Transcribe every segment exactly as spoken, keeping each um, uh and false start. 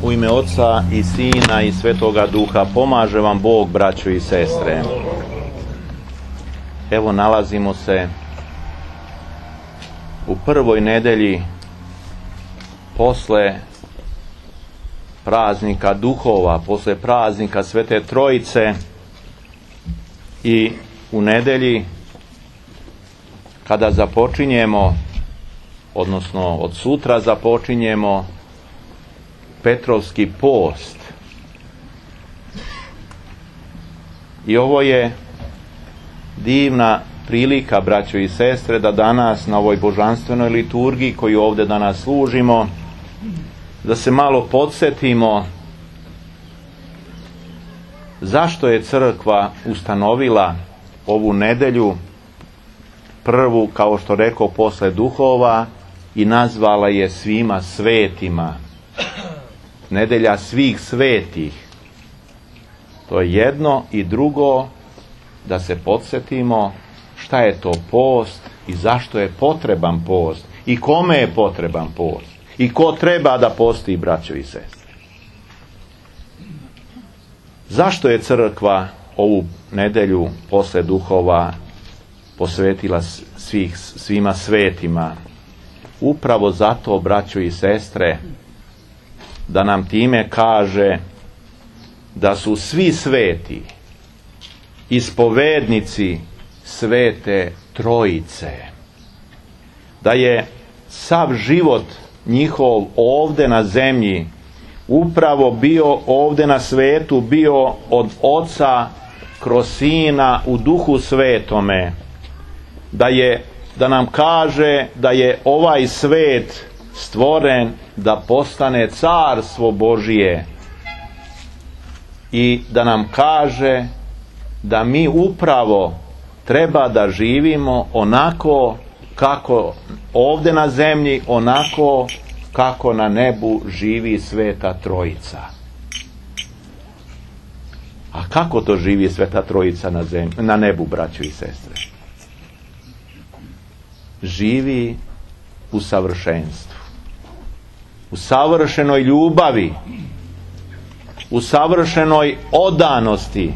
U ime Oca i Sina i Svetoga Duha. Pomaže vam Bog, braćo i sestre. Evo, nalazimo se u prvoj nedelji posle praznika duhova, posle praznika Svete Trojice i u nedelji kada započinjemo, odnosno od sutra započinjemo Petrovski post. I ovo je divna prilika, braćo i sestre, da danas na ovoj božanstvenoj liturgiji koju ovdje danas služimo, da se malo podsjetimo zašto je crkva ustanovila ovu nedelju prvu, kao što rekao, posle duhova, i nazvala je svima svetima. Nedelja svih svetih. To je jedno, i drugo, da se podsjetimo šta je to post i zašto je potreban post i kome je potreban post i ko treba da posti, braćo i sestre. Zašto je crkva ovu nedelju posle duhova posvetila svih, svima svetima? Upravo zato, braćo i sestre, da nam time kaže da su svi sveti ispovednici Svete Trojice, da je sav život njihov ovdje na zemlji upravo bio ovdje na svetu, bio od Oca kroz Sina u Duhu Svetome, da je, da nam kaže da je ovaj svet stvoren da postane carstvo Božije, i da nam kaže da mi upravo treba da živimo onako kako ovdje na zemlji, onako kako na nebu živi Sveta Trojica. A kako to živi Sveta Trojica na zemlji, na nebu, braćo i sestre? Živi u savršenstvu, u savršenoj ljubavi, u savršenoj odanosti.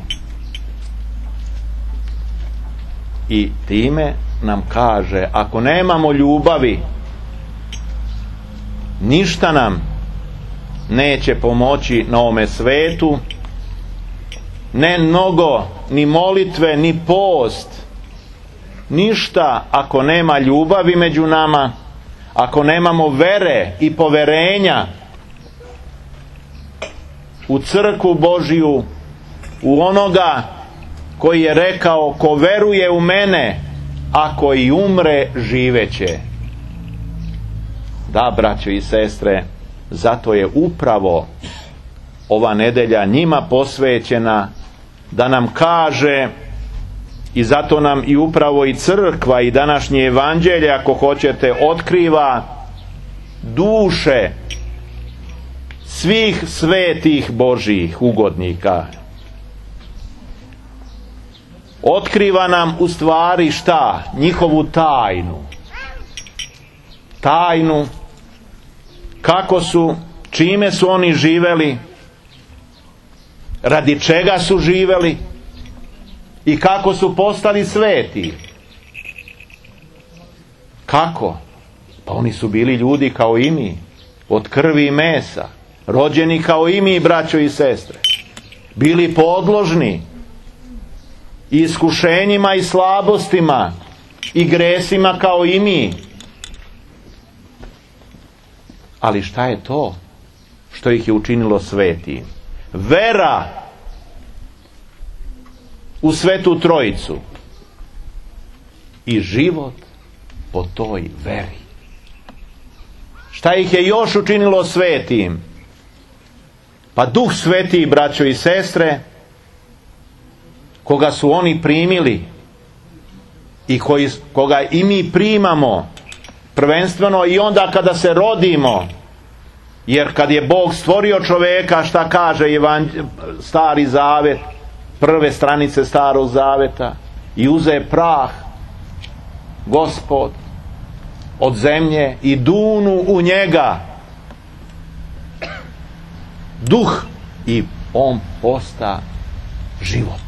I time nam kaže, ako nemamo ljubavi, ništa nam neće pomoći na ovome svetu, ne mnogo, ni molitve, ni post, ništa ako nema ljubavi među nama, ako nemamo vere i poverenja u crkvu Božiju, u onoga koji je rekao, ko veruje u mene, ako i umre, živeće. Da, braćo i sestre, zato je upravo ova nedelja njima posvećena, da nam kaže, i zato nam i upravo i crkva i današnje evanđelje, ako hoćete, otkriva duše svih svetih Božjih ugodnika. Otkriva nam u stvari šta? Njihovu tajnu. Tajnu kako su, čime su oni živeli, radi čega su živeli i kako su postali sveti. Kako? Pa oni su bili ljudi kao i mi, od krvi i mesa, rođeni kao i mi, braćo i sestre, bili podložni i iskušenjima i slabostima i gresima kao i mi. Ali šta je to što ih je učinilo svetim? Vera u Svetu Trojicu i život po toj veri. Šta ih je još učinilo svetim? Pa Duh Sveti, braćo i sestre, koga su oni primili i koji, koga i mi primamo, prvenstveno i onda kada se rodimo, jer kad je Bog stvorio čoveka, šta kaže Evanđ- Stari Zavet, prve stranice Starog Zaveta, i uze prah Gospod od zemlje i dunu u njega duh i on posta život.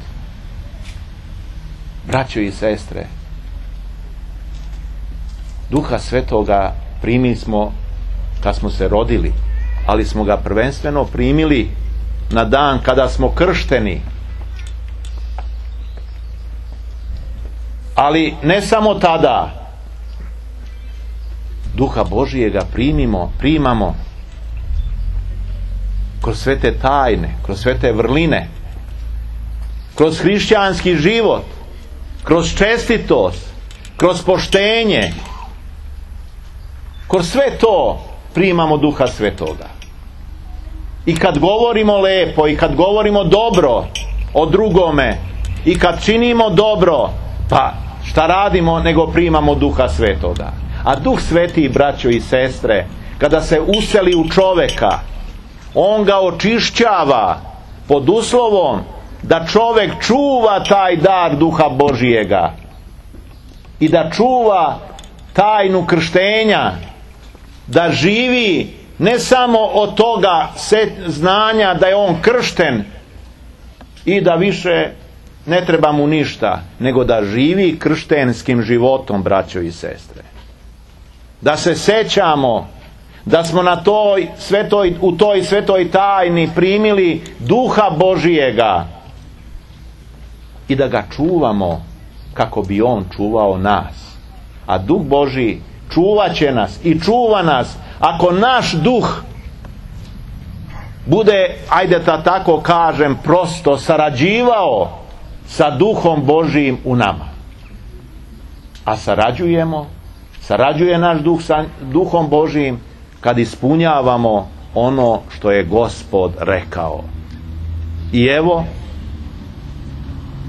Braćo i sestre, Duha Svetoga primili smo kad smo se rodili, ali smo ga prvenstveno primili na dan kada smo kršteni. Ali ne samo tada. Duha Božijega primimo, primamo kroz sve te tajne, kroz sve te vrline, kroz hrišćanski život, kroz čestitost, kroz poštenje, kroz sve to primamo Duha Svetoga. I kad govorimo lepo, i kad govorimo dobro o drugome, i kad činimo dobro, pa šta radimo nego primamo Duha Svetoga. A Duh Sveti, braćo i sestre, kada se useli u čoveka, on ga očišćava pod uslovom da čovek čuva taj dar Duha Božijega i da čuva tajnu krštenja, da živi ne samo od toga znanja da je on kršten i da više ne treba mu ništa, nego da živi krštenskim životom, braćo i sestre. Da se sećamo da smo na toj svetoj, u toj svetoj tajni primili Duha Božijega i da ga čuvamo kako bi on čuvao nas. A Duh Božiji čuvat će nas i čuva nas ako naš duh bude, ajde da tako kažem, prosto sarađivao sa Duhom Božijim u nama. A sarađujemo, sarađuje naš duh sa Duhom Božijim kad ispunjavamo ono što je Gospod rekao. I evo,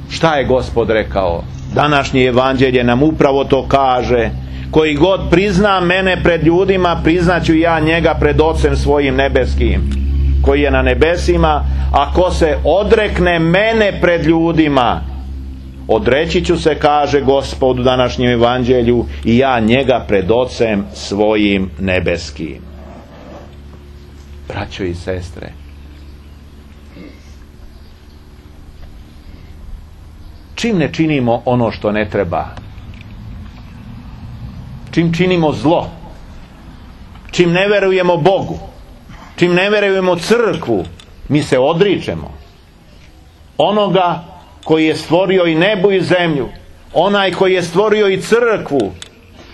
šta je Gospod rekao? Današnje evanđelje nam upravo to kaže: koji god prizna mene pred ljudima, priznaću ja njega pred Ocem svojim nebeskim, koji je na nebesima, a ko se odrekne mene pred ljudima, odreći ću se, kaže Gospod u današnjem evanđelju, i ja njega pred Ocem svojim nebeskim. Braćo i sestre, čim ne činimo ono što ne treba, čim činimo zlo, čim ne verujemo Bogu, čim ne verujemo crkvu, mi se odričemo onoga koji je stvorio i nebo i zemlju, onaj koji je stvorio i crkvu,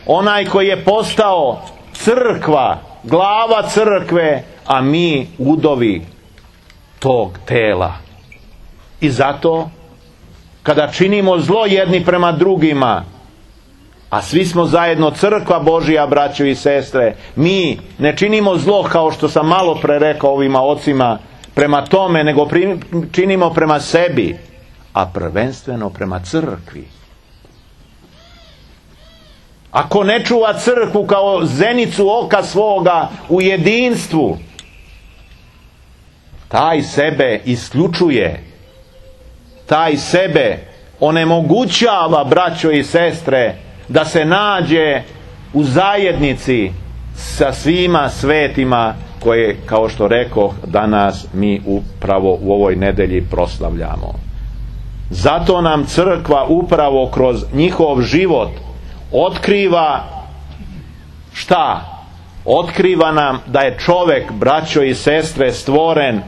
onaj koji je postao crkva, glava crkve, a mi udovi tog tela. I zato kada činimo zlo jedni prema drugima, a svi smo zajedno crkva Božija, braćo i sestre, mi ne činimo zlo, kao što sam malo pre rekao ovima ocima, prema tome, nego činimo prema sebi, a prvenstveno prema crkvi. Ako ne čuva crkvu kao zenicu oka svoga u jedinstvu, taj sebe isključuje, taj sebe onemogućava, braćo i sestre, da se nađe u zajednici sa svima svetima koje, kao što rekoh, danas mi upravo u ovoj nedelji proslavljamo. Zato nam crkva upravo kroz njihov život otkriva šta? Otkriva nam da je čovjek, braćo i sestre, stvoren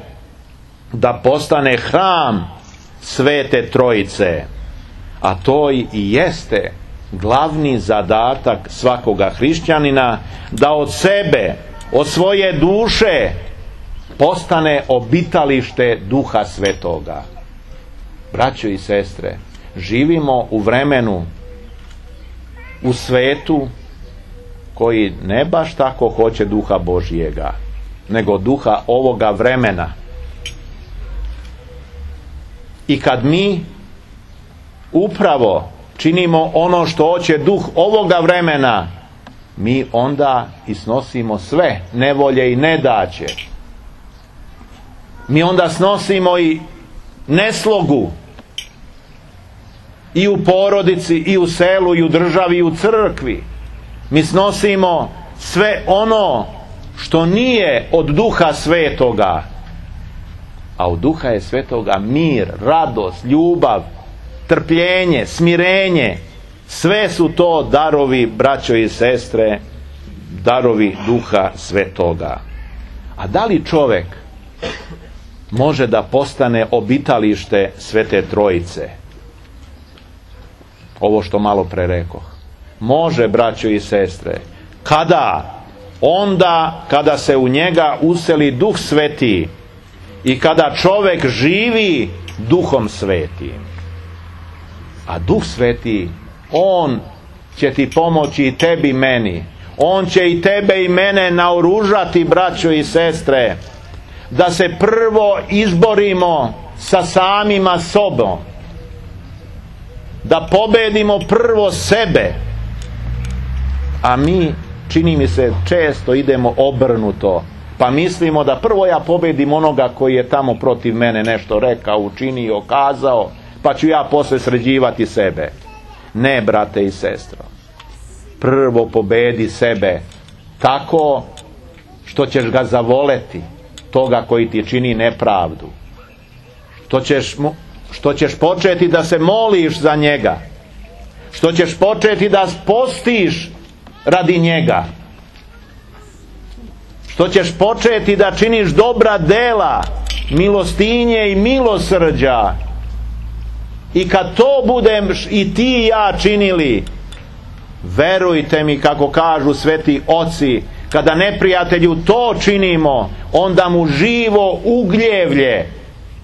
da postane hram Svete Trojice. A to i jeste glavni zadatak svakoga hrišćanina, da od sebe, od svoje duše postane obitalište Duha Svetoga. Braćo i sestre, živimo u vremenu, u svetu koji ne baš tako hoće Duha Božijega, nego duha ovoga vremena. I kad mi upravo činimo ono što hoće duh ovoga vremena, mi onda i snosimo sve nevolje i nedaće. Mi onda snosimo i neslogu i u porodici, i u selu, i u državi, i u crkvi. Mi snosimo sve ono što nije od Duha Svetoga. a od Duha je Svetoga mir, radost, ljubav, trpljenje, smirenje. Sve su to darovi, braćo i sestre, darovi Duha Svetoga. A da li čovjek može da postane obitalište Svete Trojice? Ovo što malo pre rekoh. Može, braćo i sestre. Kada? Onda kada se u njega useli Duh Sveti i kada čovjek živi Duhom Svetim. A Duh Sveti, On će ti pomoći i tebi i meni. On će i tebe i mene naoružati, braćo i sestre, da se prvo izborimo sa samima sobom. Da pobedimo prvo sebe. A mi, čini mi se, često idemo obrnuto. Pa mislimo da prvo ja pobedim onoga koji je tamo protiv mene nešto rekao, učinio, kazao, pa ću ja posle sređivati sebe. Ne, brate i sestro. Prvo pobedi sebe tako što ćeš ga zavoleti, toga koji ti čini nepravdu. Što ćeš, mu, što ćeš početi da se moliš za njega. Što ćeš početi da postiš radi njega. Što ćeš početi da činiš dobra dela, milostinje i milosrđa. I kad to budem i ti i ja činili, verujte mi, kako kažu sveti oci, kada neprijatelju to činimo, onda mu živo ugljevlje,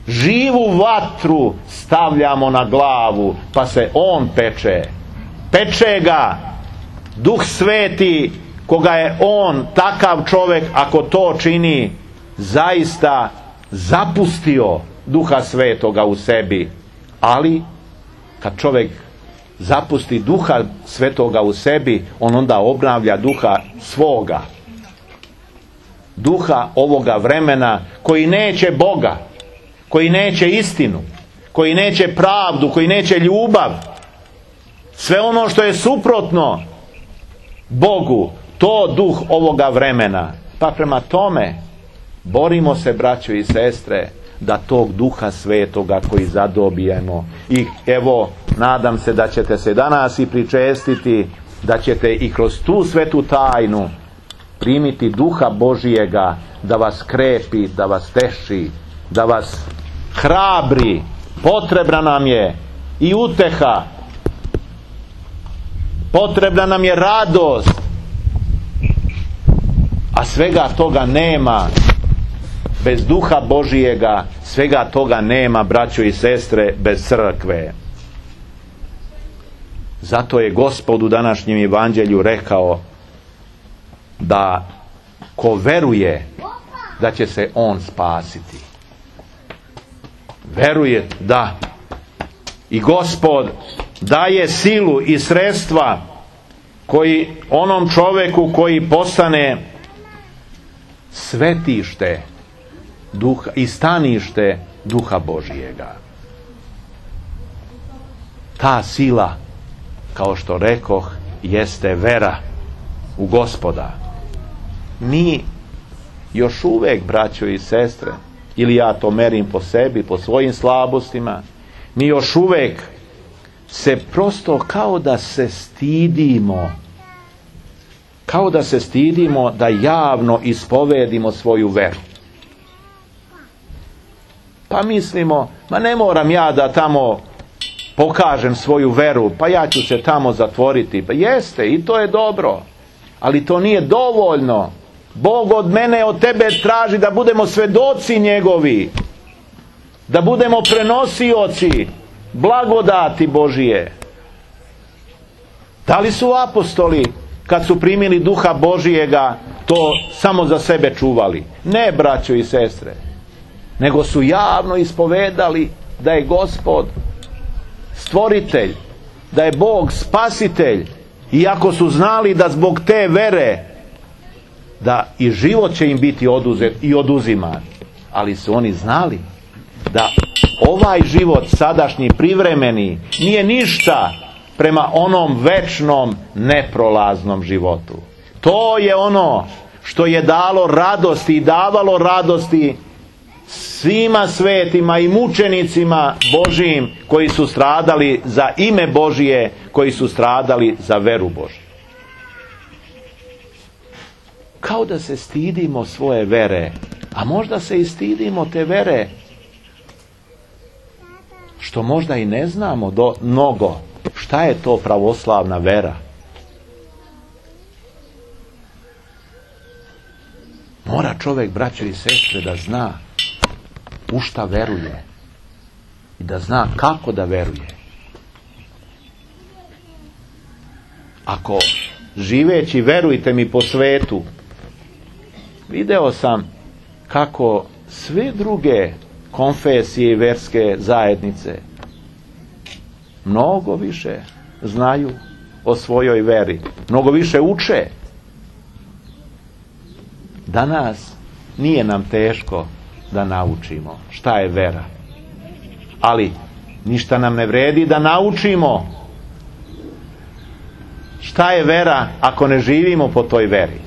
živu vatru stavljamo na glavu, pa se on peče. Peče ga Duh Sveti, koga je on, takav čovjek, ako to čini, zaista zapustio Duha Svetoga u sebi. Ali kad čovjek zapusti Duha Svetoga u sebi, on onda obnavlja duha svoga, duha ovoga vremena, koji neće Boga, koji neće istinu, koji neće pravdu, koji neće ljubav, sve ono što je suprotno Bogu, to duh ovoga vremena. Pa prema tome borimo se, braćo i sestre, da tog Duha Svetoga koji zadobijemo. I evo, nadam se da ćete se danas i pričestiti, da ćete i kroz tu svetu tajnu primiti Duha Božijega, da vas krepi, da vas teši, da vas hrabri. Potrebna nam je i uteha, potrebna nam je radost, a svega toga nema. Bez Duha Božijega svega toga nema, braćo i sestre, bez crkve. Zato je Gospod u današnjem evanđelju rekao da ko veruje da će se on spasiti. Veruje, da. I Gospod daje silu i sredstva koji onom čovjeku koji postane svetište Duha i stanište Duha Božijega. Ta sila, kao što rekoh, jeste vera u Gospoda. Mi još uvek, braćo i sestre, ili ja to merim po sebi, po svojim slabostima, mi još uvek se prosto kao da se stidimo, kao da se stidimo da javno ispovedimo svoju veru. Pa mislimo, ma ne moram ja da tamo pokažem svoju veru, pa ja ću se tamo zatvoriti. Pa jeste, i to je dobro, ali to nije dovoljno. Bog od mene, od tebe traži da budemo svedoci njegovi, da budemo prenosioci blagodati Božije. Da li su apostoli, kad su primili Duha Božijega, to samo za sebe čuvali? Ne, braćo i sestre, nego su javno ispovedali da je Gospod stvoritelj, da je Bog spasitelj, iako su znali da zbog te vere da i život će im biti oduzet i oduziman, ali su oni znali da ovaj život sadašnji, privremeni, nije ništa prema onom večnom, neprolaznom životu. To je ono što je dalo radosti i davalo radosti svima svetima i mučenicima Božijim koji su stradali za ime Božije, koji su stradali za veru Božiju. Kao da se stidimo svoje vere, a možda se i stidimo te vere što možda i ne znamo do mnogo šta je to pravoslavna vera. Mora čovjek, braćo i sestre, da zna u šta veruje i da zna kako da veruje. Ako živeći, verujte mi, po svetu, video sam kako sve druge konfesije i verske zajednice mnogo više znaju o svojoj veri, mnogo više uče. Danas nije nam teško da naučimo šta je vera, ali ništa nam ne vredi da naučimo šta je vera ako ne živimo po toj veri.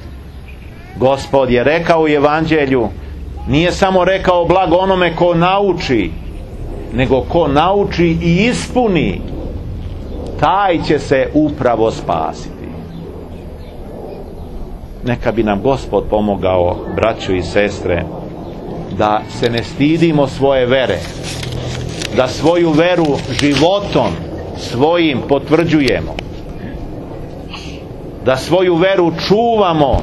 Gospod je rekao u Evanđelju, nije samo rekao blago onome ko nauči, nego ko nauči i ispuni, taj će se upravo spasiti. Neka bi nam Gospod pomogao, braćo i sestre, da se ne stidimo svoje vere, da svoju veru životom svojim potvrđujemo, da svoju veru čuvamo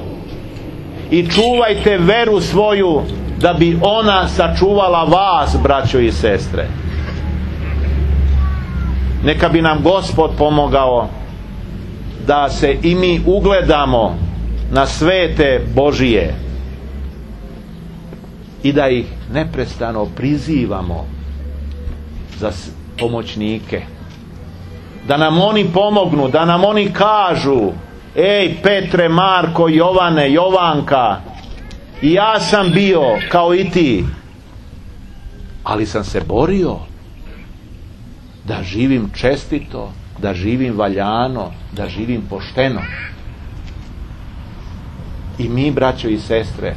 i čuvajte veru svoju da bi ona sačuvala vas, braćo i sestre. Neka bi nam Gospod pomogao da se i mi ugledamo na svete Božije i da ih neprestano prizivamo za pomoćnike, da nam oni pomognu, da nam oni kažu: ej Petre, Marko, Jovane, Jovanka, i ja sam bio kao i ti, ali sam se borio da živim čestito, da živim valjano, da živim pošteno. I mi, braćo i sestre,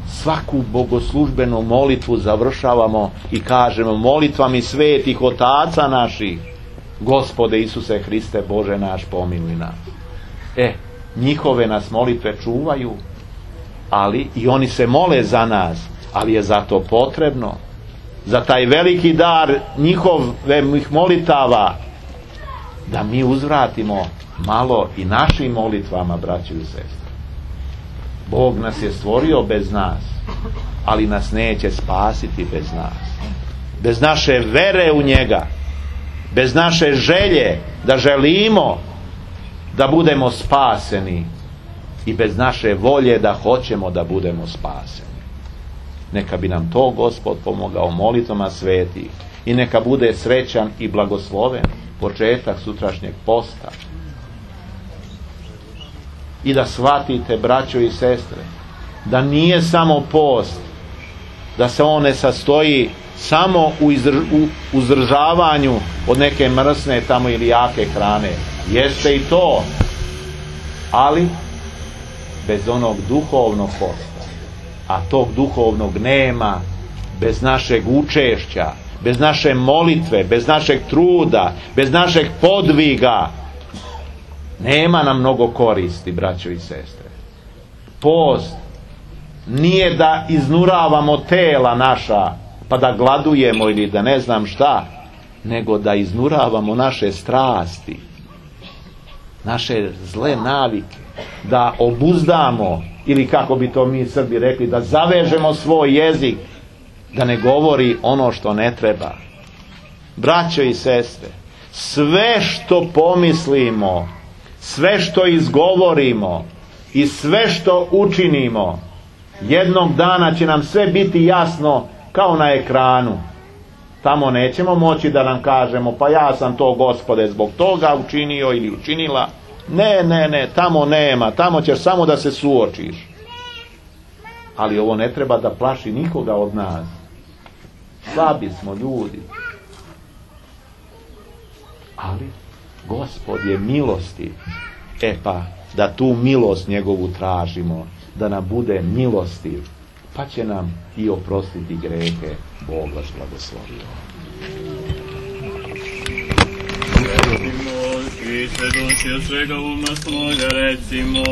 svaku bogoslužbenu molitvu završavamo i kažemo: molitvami svetih otaca naših, Gospode Isuse Hriste, Bože naš, pomiluj nas. E, njihove nas molitve čuvaju, ali i oni se mole za nas, ali je zato potrebno za taj veliki dar njihovih molitava da mi uzvratimo malo i našim molitvama, braćo i sestre. Bog nas je stvorio bez nas, ali nas neće spasiti bez nas. Bez naše vere u njega, bez naše želje da želimo da budemo spaseni i bez naše volje da hoćemo da budemo spaseni. Neka bi nam to Gospod pomogao molitvama svetih i neka bude srećan i blagosloven početak sutrašnjeg posta. I da shvatite, braćo i sestre, da nije samo post, da se on ne sastoji samo u, izdrž, u uzdržavanju od neke mrsne tamo ili jake hrane. Jeste i to, ali bez onog duhovnog posta. A tog duhovnog nema bez našeg učešća, bez naše molitve, bez našeg truda, bez našeg podviga. Nema nam mnogo koristi, braćo i sestre. Post nije da iznuravamo tela naša pa da gladujemo ili da ne znam šta, nego da iznuravamo naše strasti, naše zle navike, da obuzdamo, ili kako bi to mi Srbi rekli, da zavežemo svoj jezik, da ne govori ono što ne treba. Braćo i sestre, sve što pomislimo, sve što izgovorimo i sve što učinimo, jednog dana će nam sve biti jasno kao na ekranu. Tamo nećemo moći da nam kažemo: pa ja sam to, Gospode, zbog toga učinio ili učinila. Ne, ne, ne, tamo nema, tamo ćeš samo da se suočiš. Ali ovo ne treba da plaši nikoga od nas. Slabi smo ljudi. Ali Gospod je milostiv. E pa, da tu milost njegovu tražimo, da nam bude milostiv pa će nam i oprostiti grehe. Bog vas blagoslovio. I sve duše od svega uma svoga recimo.